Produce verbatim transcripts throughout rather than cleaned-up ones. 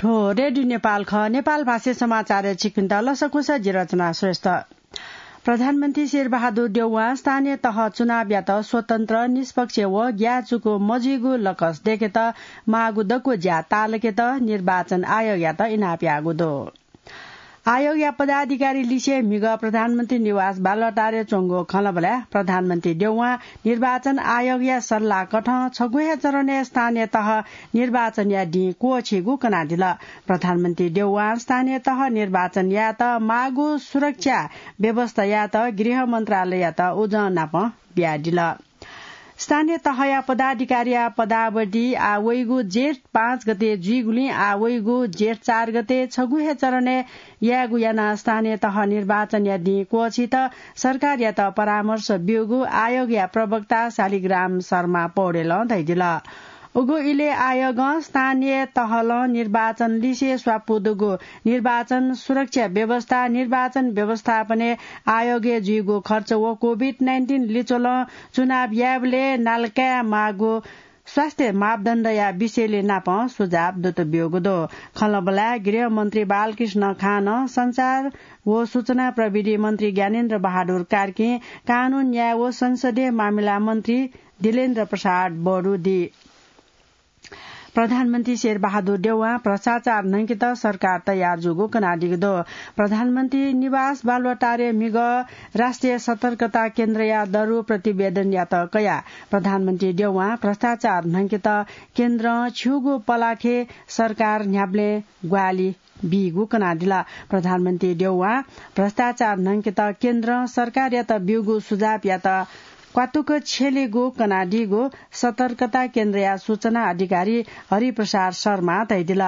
हो, रेडियो नेपाल खः। नेपाल भाषा समाचारय् छिकपिन्त लसकुस, जि रचना श्रेष्ठ। प्रधानमन्त्री शेरबहादुर देउवां स्थानीय तह चुनावयात स्वतन्त्र, निष्पक्ष व ग्याःचुकु मजुइगु लकस दय्केत माःगु दक्व ज्या ताःलाकेत निर्वाचन आयोगयात इनाप याःगु दु। आयोगया पदाधिकारी लिसे म्हिगः प्रधानमन्त्री निवास बालुवाटारय् च्वंगु खँल्हाबल्हाय् प्रधानमन्त्री देउवां निर्वाचन आयोगया सल्लाहकथं छगू हे चरणय् स्थानीय तह निर्वाचनया दिं क्वःछीगु कनादिल। प्रधानमन्त्री देउवां स्थानीय तह निर्वाचन यायेत माःगु सुरक्षा व्यवस्था यायेत गृह मन्त्रालययात उजं नापं बियादिल। स्थानीय तहया पदाधिकारीया पदावधि आः वइगु जेठ पाँच गते जुइगुलिं आः वइगु जेठ चार गते छगू हे चरणय् यायेगु यानाः स्थानीय तह निर्वाचनया दिं क्वःछीत सरकारयात परामर्श ब्यूगु आयोगया प्रवक्ता शालिग्राम शर्मा पौडेलं धयादिल। उगु इलय् आयोगं स्थानीय तहलं निर्वाचन लिसे स्वापू दुगु निर्वाचन सुरक्षा व्यवस्था, निर्वाचन व्यवस्थापनय् आयोगय् जुइगु खर्च व कोभिड नाइन्टिन लिच्वलं चुनाव यायेबलय् नालाकाये माःगु स्वास्थ्य मापदण्डया विषयलय् नापं सुझाव दुत ब्यूगु दु। खँल्हाबल्हाय् गृहमन्त्री बालकृष्ण खानं, सञ्चार व सूचना प्रविधि मन्त्री ज्ञानेन्द्र बहादुर कार्कीं, कानून न्याय व संसदीय मामिला मन्त्री दिलेन्द्र प्रसाद बरु दी। प्रधानमन्त्री शेरबहादुर देउवां भ्रष्टाचार न्हंकेत सरकार तयार जूगु कनादीगु दु। प्रधानमन्त्री निवास बालुवाटारय् म्हिगः राष्ट्रिय सतर्कता केन्द्रया दरु प्रतिवेदनयात कयाः प्रधानमन्त्री देउवां भ्रष्टाचार न्हंकेत केन्द्रं छिउगु पलाखे सरकार न्ह्याबलें ग्वाहालि बीगु कनादिल। प्रधानमन्त्री देउवां भ्रष्टाचार न्हंकेत केन्द्रं सरकारयात ब्यूगु सुझावयात क्वातुक छ्यलीगु कनादीगु सतर्कता केन्द्रया सूचना अधिकारी हरिप्रसाद शर्मां धयादिल।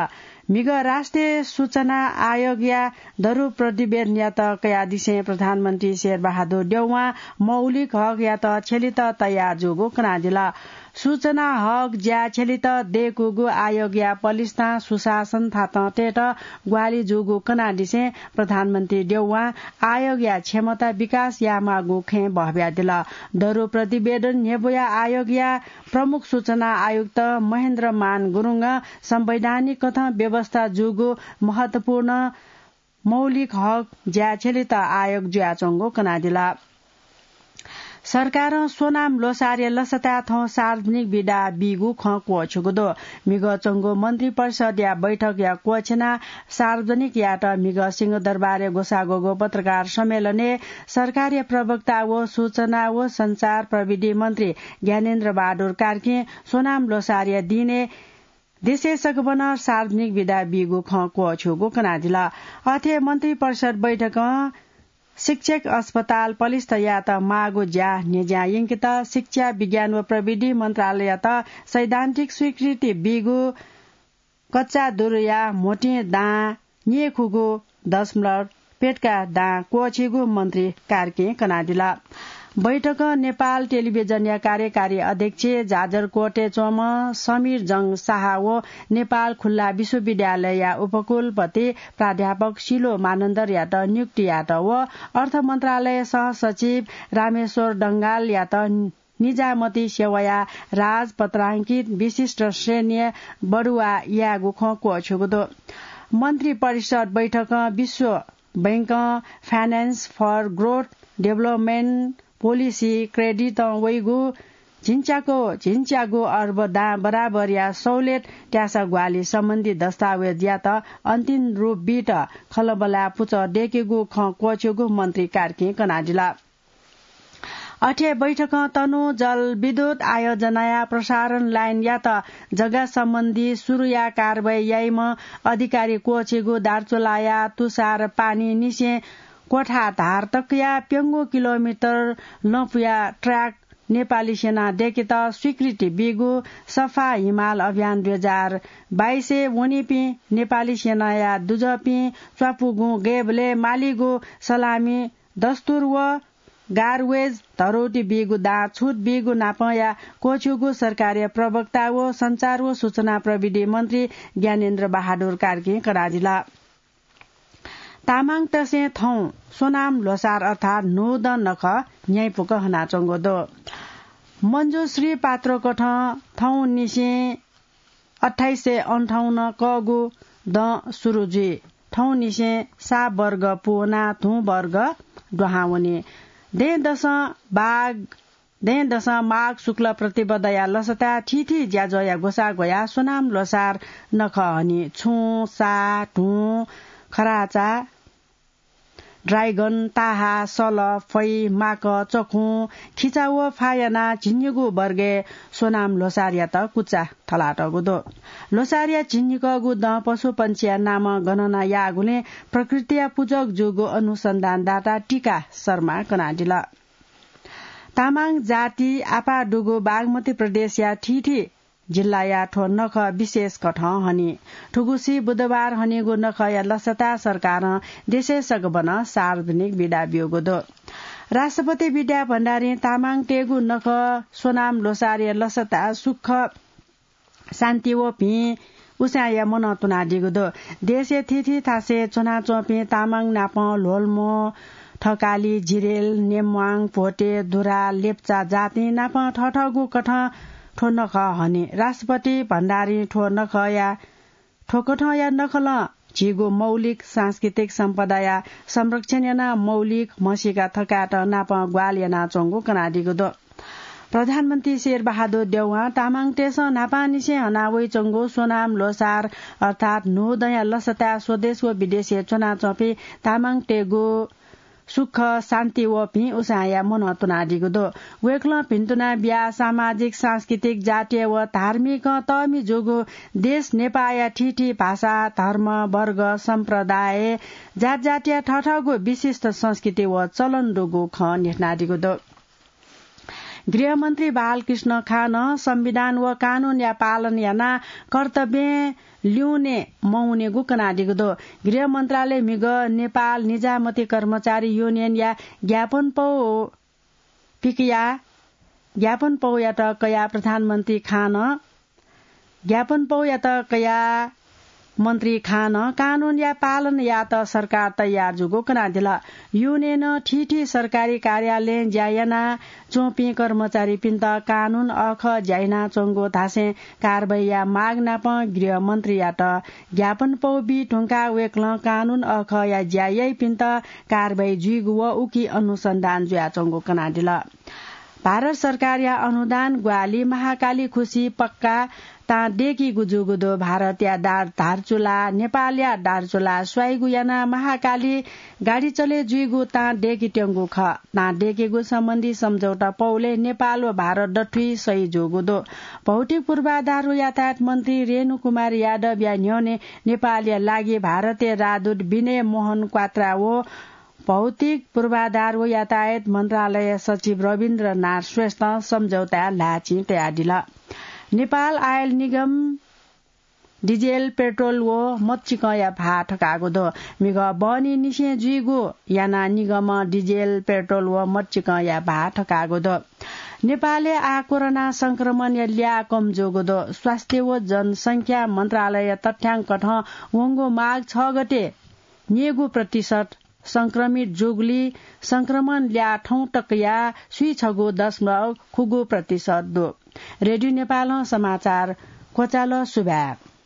म्हिगः राष्ट्रिय सूचना आयोगया दरु प्रतिवेदनयात कयादिसें प्रधानमन्त्री शेरबहादुर देउवां मौलिक हकयात छ्यलीत तयार जूगु कनादिल। सूचना हक ज्या छ्यलीत दय्कूगु आयोगया पलिस्तां सुशासन थातं तयेत ग्वाहालि जूगु कनादिसें प्रधानमन्त्री देउवां आयोगया क्षमता विकास यायेमाःगु खँय् बहब्यादिल। दरु प्रतिवेदन न्ह्यब्वया आयोगया प्रमुख सूचना आयुक्त महेन्द्र मान गुरुङं संवैधानिक कथं व्यवस्था जूगु महत्वपूर्ण मौलिक हक ज्या छ्यलीत आयोग जुयाच्वंगु कनादिल। सरकारं सोनाम ल्होसारया लसताय् थौं सार्वजनिक बिदा बीगु खँ क्वःछ्यूगु दु। म्हिगः च्वंगु मन्त्रिपरिषदया बैठकया क्वःछेनाः सार्वजनिक यायेत म्हिगः सिंहदरबारय् ग्वसाः ग्वःगु पत्रकार सम्मेलनय् सरकारया प्रवक्ता व सूचना व सञ्चार प्रविधि मन्त्री ज्ञानेन्द्र बहादुर कार्कीं सोनाम ल्होसारया दिनय् देशय् सकभनं सार्वजनिक बिदा बीगु खँ क्वःछ्यूगु कनादिल। अथे मन्त्रिपरिषद बैठकं शिक्षक अस्पताल पलिस्थ यायेत माःगु ज्या न्ह्यज्यां यंकेत शिक्षा, विज्ञान व प्रविधि मन्त्रालययात सैद्धान्तिक स्वीकृति बीगु कच्चा दुरुया म्होतिं दां न्येखुगु दशमलव प्यदँका दां क्वःछीगु मन्त्री कार्कीं कनादिल। बैठकं नेपाल टेलिभिजनया कार्यकारी अध्यक्ष जाजरकोटय् च्वंम्ह समीर जंग शाह व नेपाल खुल्ला विश्वविद्यालयया उपकुलपति प्राध्यापक सिलो मानन्धरयात नियुक्ति यायेत व अर्थ मन्त्रालय सहसचिव रामेश्वर डंगालयात निजामती सेवाया राजपत्रांकित विशिष्ट श्रेणीया बढुवा यायेगु खँ क्वःछ्यूगु दु। मन्त्रिपरिषद बैठकं विश्व बैंकं Finance for Growth Development Policy credit-ं वइगु झिंच्यागु, झिंच्यागु अर्ब दां बराबरया सहुलियत त्यासा ग्वाहालि सम्बन्धी दस्तावेजयात अन्तिम रूप बीत खँल्हाबल्हाय् पुचः दय्केगु खँ क्वःछ्यूगु मन्त्री कार्कीं कनादिल। अथे बैठकं तनु जलविद्युत आयोजनाया प्रसारण लाइनयात जग्गा सम्बन्धी सुरुया कारवाही याइम्ह अधिकारी क्वःछीगु दार्चुलाया तुषार पानीनिसें क्वथाधार तकया प्यंगू किलोमिटर लँपुया ट्र्याक नेपाली सेनां दय्केत स्वीकृति बीगु सफा हिमाल अभियान दुई हजार बाइसय् वनीपिं नेपाली सेनाया दुजःपिं च्वापुगुं गय्बलय् मालीगु सलामी दस्तुर व गार्वेज धरोटी बीगु दां छुट बीगु नापंया क्वःछ्यूगु सरकारया प्रवक्ता व सञ्चार व सूचना प्रविधि मन्त्री ज्ञानेन्द्र बहादुर कार्कीं कनादिल। तामाङतय्सं थौं सोनाम ल्होसार अर्थात् न्हूदँ नखः न्ह्याइपुक हनाच्वंगु दु। मञ्जुश्री पात्रकथं थौंनिसें अट्ठाइस सय अन्ठाउन्न कःगु दँ सुरु जुइ। थौंनिसें साप वर्ग पूवनाः धुँ वर्ग दुहां वनी। दँय्‌दसं बाघ दँय्‌दसं माघ शुक्ल प्रतिपदया लसताय् थीथी ज्याझ्वःया ग्वसाः ग्वयाः स्वनाम ल्वसार नखः हनी। छुं, साः, धुं, खराचा, ड्राइगन, ताहा, सल, फै, माक, चखुं, खिचा व फाः यानाः झिंनिगू वर्गय् स्वनाम ल्वसारयात कुचा थलातःगु दु। ल्वसारया झिंनिकःगु दँ पशुपंक्षीया नामं गणना याःगुलिं प्रकृतिया पुजक जूगु अनुसन्धानदाता टीका शर्मां कनादिल। तामाङ जाति आपाः दुगु बागमती प्रदेशया थीथी जिल्लाया थ्व नखः विशेष कथं हनी। थुगुसी बुधबार हनीगु नखःया लसताय् सरकारं देशय् सगबनं सार्वजनिक बिदा ब्यूगु दु। राष्ट्रपति विद्या भण्डारीं तामाङतय्‌गु नखः स्वनाम ल्वसारया लसताय् सुख शान्ति व भिं उसाँय्‌या मनं तुनादीगु दु। देशया थीथी थासय् च्वनाच्वंपिं तामाङ नापं ल्होल्मो, थकाली, जिरेल, नेम्वाङ, भोटे, दुराल, लेप्चा जातिं नापं थःथःगु कथं थ्व नखः हनी। राष्ट्रपति भण्डारीं थ्व नखःया, थ्व कथंया नखलं झीगु मौलिक सांस्कृतिक सम्पदाया संरक्षण यानाः मौलिक म्हसीका थकायेत नापं ग्वाहालि यानाच्वंगु कनादीगु दु। प्रधानमन्त्री शेरबहादुर देउवां तामाङतय्‌सं न्हापांनिसें हना वइच्वंगु स्वनाम ल्वसार अर्थात् न्हूदँया लसताय् स्वदेश व विदेशय् च्वनाच्वंपिं तामाङतय्‌गु सुख, शान्ति व भिं उसाँय्‌या मनं तुनादीगु दु। वय्‌कलं भिन्तुना बियाः सामाजिक, सांस्कृतिक, जातीय व धार्मिकं तःमि जूगु देश नेपाःया थीथी भाषा, धर्म, वर्ग, सम्प्रदाय, जातजातिया थःथःगु विशिष्ट संस्कृति व चलन दुगु खँ न्ह्यथनादीगु दु। गृहमन्त्री बालकृष्ण खानं संविधान व कानूनया पालन यानाः कर्तव्यं ल्यूने मवनेगु कनादीगु दु। गृह मन्त्रालय म्हिगः नेपाल निजामती कर्मचारी युनियनया ज्ञापन पौ पिकया, ज्ञापन पौयात कयाः प्रधानमन्त्री खानं ज्ञापन पौयात कयाः मन्त्री खानं कानूनया पालन यायेत सरकार तयार जूगु कनादिल। युनियनं थीथी सरकारी कार्यालयं ज्या यानाच्वंपिं कर्मचारीपिन्त कानून अःखः ज्या यानाच्वंगु धासें कारवाहीया माग नापं गृहमन्त्रीयात ज्ञापन पौ बी धुंकाः वय्‌कलं कानून अःखःया ज्या याइपिन्त कारवाही जुइगु व उकी अनुसन्धान जुयाच्वंगु कनादिल। भारत सरकारया अनुदान ग्वाहालि महाकाली खुसी पक्का तां दय्‌कीगु जूगु दु। भारतया दार-, धारचुला, नेपालया दारचुला स्वाइगु यानाः महाकाली गाडी चले जुइगु तां दय्‌कीत्यंगु खः। तां दय्‌कीगु सम्बन्धी सम्झौता पौलय् नेपाल व भारत दथुइ सही जूगु दु। भौतिक पूर्वाधार व यातायात मन्त्री रेणु कुमार यादवया न्ह्यःने नेपालया लागि भारतया राजदूत विनय मोहन क्वात्रा व भौतिक पूर्वाधार व यातायात मन्त्रालय सचिव रविन्द्रनाथ श्रेष्ठं सम्झौताय् ल्हाःचिं तयादिल। नेपाल आयल निगम डिजेल, पेट्रोल व मच्चिकंया भाः थकाःगु दु। म्हिगः बहनीनिसें जुइगु यानाः निगमं डिजेल, पेट्रोल व मच्चिकंया भाः थकाःगु दु। नेपालय् आः कोरोना संक्रमणया ल्याः कम जूगु दु। स्वास्थ्य व जनसंख्या मन्त्रालयया तथ्याङ्क कथं वंगु माघ छ गते न्यय्‌गू प्रतिशत संक्रमित जूगुलिं संक्रमण ल्याः थौं तकया स्वीछगू दशमलव खुगू प्रतिशत दु। रेडियो नेपालं समाचार क्वचाल। सुभाय्।